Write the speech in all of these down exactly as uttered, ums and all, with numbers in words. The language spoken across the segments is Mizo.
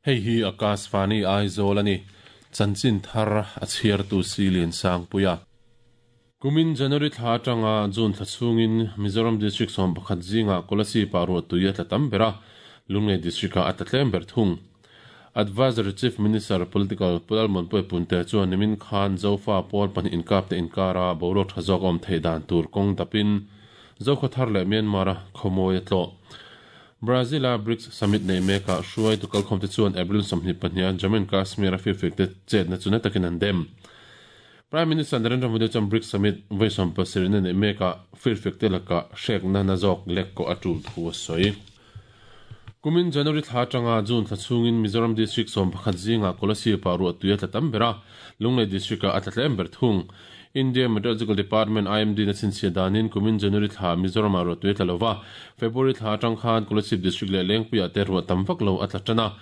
Hei hi Akashvani Aizawl ani chanchin thar a chhiartu Silian Sangpuia. Kumin January thla atanga June thla chhungin Mizoram District sawm pakhat zinga Kolasib ah ruahtui a tla tam ber a, Lunglei District ah a tla tlem ber thung. Advisory Chief Minister Political Pulalmon Punte chuan nimin khan Zofa pawl pahnih inkap te inkara boruak tha zawk awm theih dan tur kawng dapin Zokhawthar leh Myanmar a khawmawi a tlawh. Brazil a BRICS Summit nei mekah hruaitu kalkhawm te chuan April sawmhnih pahniha Jammu and Kashmir a firfek te chetna chu na takin an dem. Prime Minister Narendra Modi chuan BRICS Summit vawi sawm pasarih na nei mekah firfek te lakah hrekna na zawk lek kawh a tul thu a sawi. Kumin January thla atanga June thla chhungin Mizoram District sawm pakhat zingah Kolasib ah ruahtui a tla tam ber a, Lunglei District ah a tla tlem ber thung. India Meteorological Department I M D na chhinchhiah danin kumin January thla Mizoram ah ruahtui a tla lova, February thla atang khan Kolasib District leh Lengpuiah te ruah tam vak lo a tla tan a,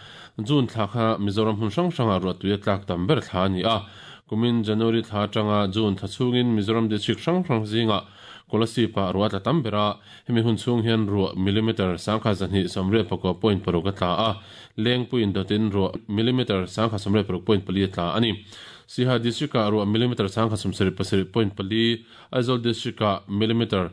June thla kha Mizoram hmun hrang hrangah ruahtui a tlak tam ber thla a ni a. Kumin January thla atanga June thla chhungin Mizoram District hrang hrang zingah Kolasib ah ruah a tla tam ber a, hemi hun chhung hian ruah millimeter sangkhat zahnih sawmriat pakua point paruk a tla a, Lengpuiin dawtin ruah millimeter sangkhat sawmriat paruk point pali a tla a ni. Siha District ah ruah millimeter sangkhat sawmsarih pasarih point pali, Aizawl District ah millimeter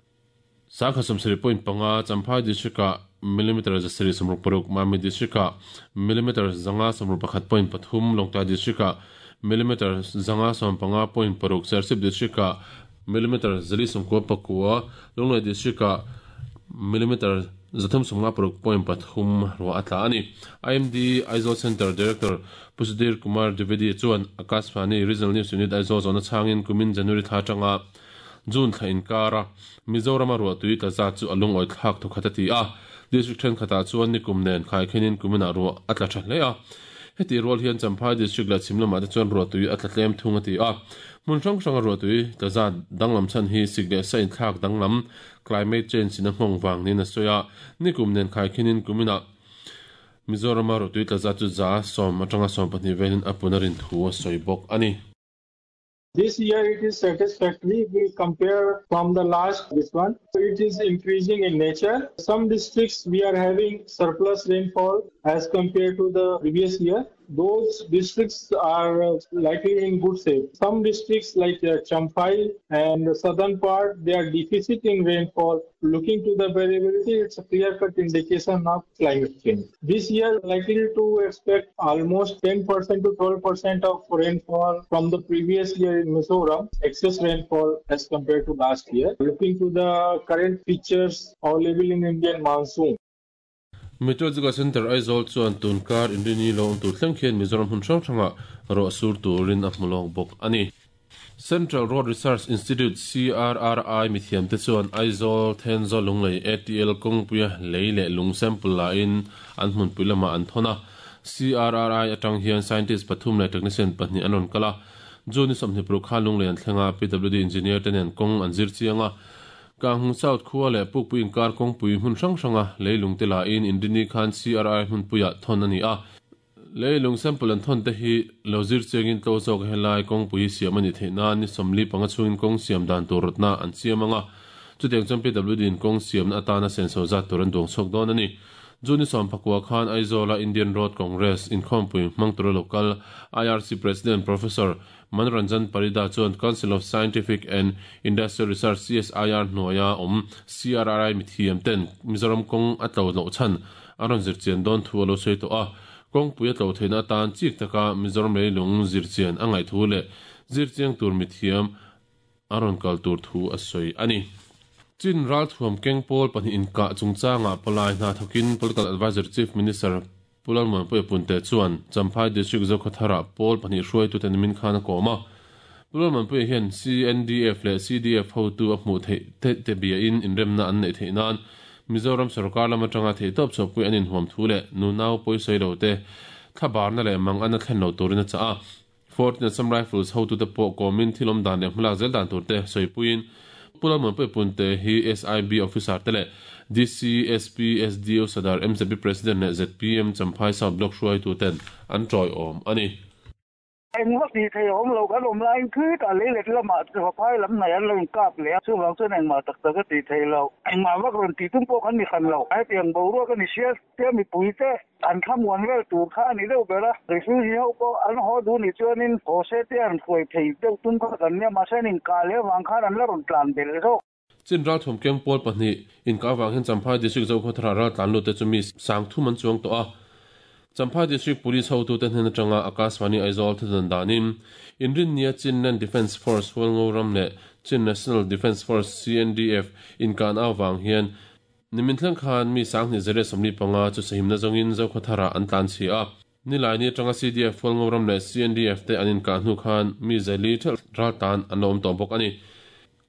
sangkhat sawmsarih point panga, Champhai District ah millimeter zasarih sawmruk paruk, Mami District ah millimeter zanga sawmruk pakhat point pathum, Lawngtlai District ah millimeter zanga sawm panga point paruk, Serchhip District ah millimeter zali sawmkua pakua, Lunglei District ah millimeter zathum sawmnga paruk point pathum ruah a tla a ni. I M D Aizawl Center Director Pusudir Kumar Dwivedi chuan Akashvani Regional News Unit Aizawl zawhna chhangin kumin January thla atanga June thla inkara Mizoram a ruahtui tla zat chu a lungawi thlak thawkhat a ti a. District thenkhatah chuan nikum nen khaikhenin kuminah ruah a tla tha hle a. Heti rual hian Champhai District leh Chhimlamah te chuan ruahtui a tla tlem thung a ti a. Hmun hrang hranga ruahtui tla zat danglam chhan hi sik leh sa inthlak danglam climate change in a nghawng vang niin a sawi a. Nikum nen khaikhenin kuminah Mizoram a ruahtui tla zat chu za sawm atanga sawm pahnih velin a pun a rin thu a sawi bawk a ni. This year it is satisfactory. We compare from the last this one. It is increasing in nature. Some districts we are having surplus rainfall as compared to the previous year. Those districts are likely in good shape. Some districts like Champhai and the southern part, they are deficit in rainfall. Looking to the variability, it's a clear-cut indication of climate change. This year, likely to expect almost ten percent to twelve percent of rainfall from the previous year in Mizoram, excess rainfall as compared to last year. Looking to the current features available in Indian monsoon. Meteorological Center Aizawl chuan tunkar Indini lo awm tur thleng khian Mizoram hmun hrang hrangah ruah sur turin a hmu lawk bawk a ni. Central Road Research Institute C R R I mithiam te chuan Aizawl Thenzawl Lunglei A T L kawngpuia lei leh lung sample la in an hmunpui lamah an thawn a. C R R I atang hian scientist pathum leh technician pahnih an rawn kal a. June sawmhnih paruk khan Lunglei an thlenga P W D engineer te nen kawng an zir chiang a. Kanghung South khua leh Pukpui inkar kawngpui hmun hrang hranga leilung te la in Indini khan C R I hmunpuiah thawn a ni a. Leilung sample an thawn te hi lo zir chiangin tlo zawk helai kawngpui siam a ni theih nan ni sawmli panga chhungin kawng siam dan tur rawtna an siam anga. Chutiang chuan P W D in kawng siamna atana senso zat tur an duang chhuak dawn a ni. June sawm pakua khan Aizawla Indian Road Congress inkhawmpui hmang tura local I R C President Professor Manoranjan Parida chuan Council of Scientific and Industrial Research C S I R hnuaia awm C R R I mithiam ten Mizoram kawng a tlo loh chhan a rawn zirchian dawn thu a lo sawi tawh a. Kawngpui a tlo theihna atan chik taka Mizoram leilung zirchian a ngaih thu leh zirchiang tur mithiam a rawn kal tur thu a sawi a ni. Chin ral thuam keng pawl pahnih inkah chungchangah palai hna thawkin Political Advisor Chief Minister Pulalman Punte chuan Champhai District Zokhawtharah pawl pahnih hruaitu te nimin khan a kawm a. Pulalman Puia hian C N D F leh C D F hotu a hmuh theih te te bia in inremna an neih theih nan Mizoram sarkar lam atanga theih tawp chhuahpui an inhuam thu leh nunau pawisawi lo te thlabarna leh mang an a thlen lo turin a chah a. Fourteen Assam Rifles hotu te pawh kawmin thilawm dan leh hmalak zel dan tur te sawipuiin Pulalman Punte hi S I B officer te leh D C S P S D O Sadar M Z P President leh Z P M Champhai South Block hruaitu ten an tawiawm a ni. Engvak ti thei awm lo kan awm laiin khi tah leilet lamah vaphai lam hnai an lo inkap leh a, chuvang chuan engmah tak tak a ti thei lo. Engmah vak rawn tih tum pawh kan ni hran lo. Hetiang boruak a ni sia tia mipui te an thlamuan vel tur kha a ni deuh ber a. Refugee ho pawh an haw duh nih chuanin haw se te an hruai thei deuh tum kha kan nia, mahse an inkah leh avang khan an la rawn tlan belh zawk. Chin ral thum keng pawl pahnih inkah avang hian Champhai District Zokhawthar ral tlan lut te chu mi sang thum an chuang tawh a. Champhai District Police hotu te hnen atanga Akashvani Aizawl thudan danin inrin nia Chinland Defence Force Hualngo ram leh Chin National Defence Force C N D F inkan awang hian nimin thleng khan mi sanghnih zere sawmli panga chu sahimna zawngin Zokhawthara an tlan chi a. Nilai ni atanga C D F Hualngo ram leh C N D F te an inkan hnu khan mi zali thel ral tan an lo awm tawh bawk ani.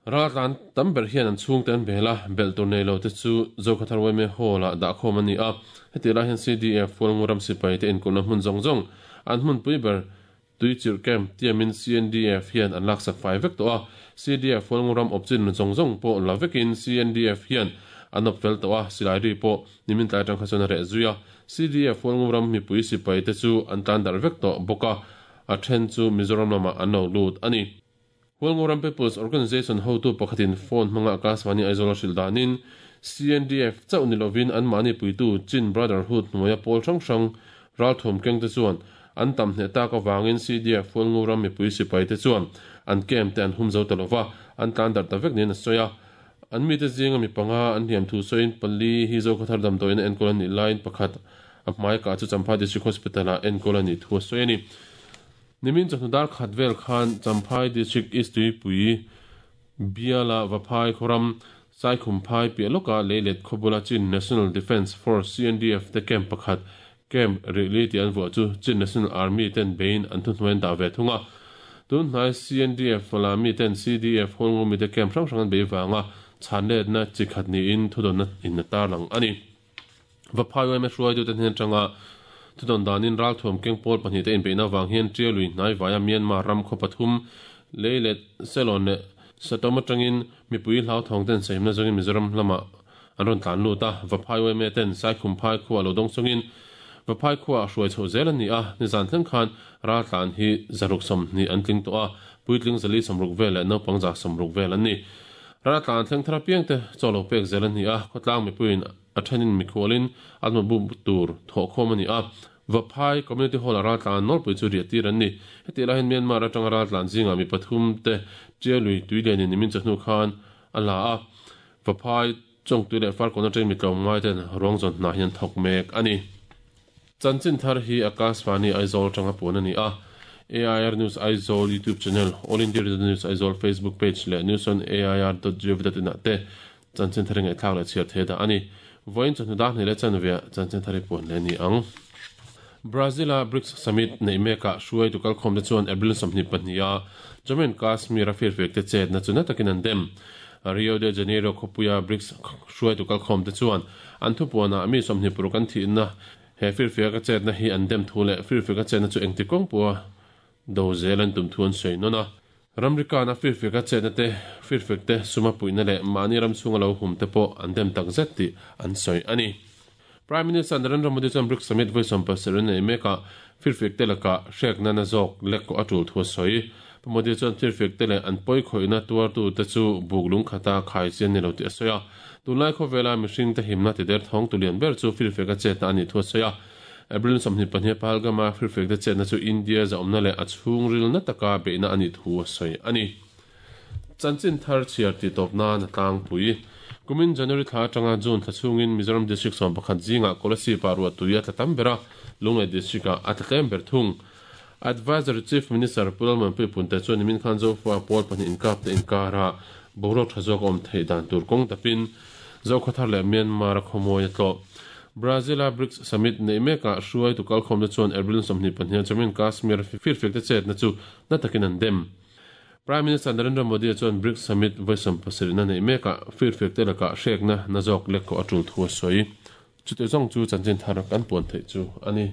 Ral tlan tam ber hian an chhung te an bela bel tur nei lo te chu Zokhawthar Y M A hall ah dah khawm ani a. Heti lai hian C D F Hualngo ram sipai te inkulna hmun zawng zawng an hmun pui ber tuichirh camp tiamin C N D F hian an laksak fai vek tawh a. C D F Hualngo ram awpchin zawng zawng pawh la vekin C N D F hian an awp fel tawh a, silai ri pawh nimin tlai atang kha chuan a reh zui a. C D F Hualngo ram mipui sipai te chu an tlan darh vek tawh bawk a, a then chu Mizoram lamah an lo lut ani. Hualngo ram People's Organization hotu pakhatin phone hmanga Akashvani Aizawl a hrilh danin C N D F chauh ni lovin an mahni puitu Chin Brotherhood hnuaia pawl hrang hrang ral thum keng te chuan an tam hneh tak awangin C D F Hualngo ram mipui sipai te chuan an camp te an hum zo ta lova, an tlan darh ta vek niin a sawi a. An mi te zinga mi panga an hliam thu sawiin pali hi Zokhawthar damdawiin a enkawl a nih laiin pakhat a hmai kah chu Champhai District Hospital ah enkawl a nih thu a sawi a ni. Nimin chawhnu dar khat vel khan Champhai District East Tuipui Biala Vaphai Khoram Saikhumphai piah lawka leilet khawbula Chin National Defence Force C N D F te camp pakhat camp rili ti an vuah chu Chin National Army ten bein an thu hnuaiin dah ve thung a. Tun hnai C N D F la mi ten C D F Hualngo mi te camp hrang hrang an bei wanga chhan let na chi khat niin thudawn in na tar lang ani. Vaphai Y M A hruai tu te hnen atanga thudawn danin ral thuam keng pawl pahnih te inbeihna wang hian Tialui hnai vaia Myanmar ram khaw pathum leilet selon leh satom atangin mipui hlau thawng ten sahimna zawngin Mizoram lamah an rawn tlan lut a. Vaphai Y M A ten Saikhumphai khuaa lo dawng chungin Vaphai khuaa hruai chho zel ani a. Nizan thleng khan ral tlan hi zaruk sawmhnih an tling tawh a, puitling zali sawmruk vel leh naupang za sawmruk vel an ni. Ral tlan thleng thar apiang te chaw lo pek zel ani a, khawtlang mipuiin a thenin mikhualin an ma bu tur thawh khawm ani a. Vaphai Community Hall a ral tlan nawlpui chu riah tir an ni. Heti lai hian Myanmar atanga ral tlan zinga mi pathum te Tialui tuilianin nimin chawhnu khan a la a. Vaphai chawngtui leh farkawn atangin mi tlawm ngai ten ruang zawn hnah hian thawk mek ani. Chanchin thar hi Akashvani Aizawl atanga puan ani a. A I R News Aizawl YouTube channel, All India Radio News Aizawl Facebook page leh news on A I R dot gov dot in ah te chanchin thar ngai thlak leh chhiar thei dah ani. Vawiin chawhnu dar hnih leh chanve chanchin thar hi puan leh ni ang. Brazil a BRICS Summit nei meka hruai tu kalkhawm te chuan April sawmhnih pahnih a Jammu and Kashmir a firfek te chet na chu na takin an dem. Rio de Janeiro khawpuia BRICS hruai tu kalkhawm te chuan an thupuanah mi sawmhnih paruk an thihna he firfek a chet na hi an dem thu leh firfek a chet na chu engti kawng pawha do zel an tum thu an sawi nawn a. Ramrika na firfek a chet na te firfek te suma puihna leh mahni ram chhunga lo hum te pawh an dem tak zet tih an sawi ani. Prime Minister Narendra Modi chuan BRICS Summit vawi sawm pasarih nei meka firfek te laka hrekna na zawk lek ko a tul thu a sawi. Modi chuan firfek te leh an pawi khawihna tuartu te chu buklung khata khai chian ni lo tih a sawi a. Tunlai khawvela mihring te himna ti der thawng tulian ber chu firfek a chet na ani thu a sawi a. April sawmhnih pahnih Pahalgama firfek te chet na chu India zaawmna leh a chhung ril na taka beihna ani thu a sawi ani. Chanchin thar chhiar ti tawp nan a tlangpui. Kumin January thla atanga June thla chhungin Mizoram District sawm pakhat zinga Kolasib ah ruah tui a tla tam ber a, Lunglei District ah a tla tlem ber thung. Advisory Chief Minister Pu Lalmuanpui Punte chuan nimin khan Zofa pawl pahnih inkap te inkara boruak tha zawk awm theih dan tur kawng tapin Zokhawthar leh Myanmar a khawmawi a tlawh. Brazil a BRICS Summit nei meka hruai tu kalkhawm te chuan April sawmhnih pahnih Jammu and Kashmir firfek te chet na chu na takin an dem. Prime Minister Narendra Modi chuan BRICS Summit vawi sawm pasarih na nei meka firfek te laka hrekna na zawk lek ko a tul thu a sawi. Chute zawng chu chanchin thar kan puan theih chu ani.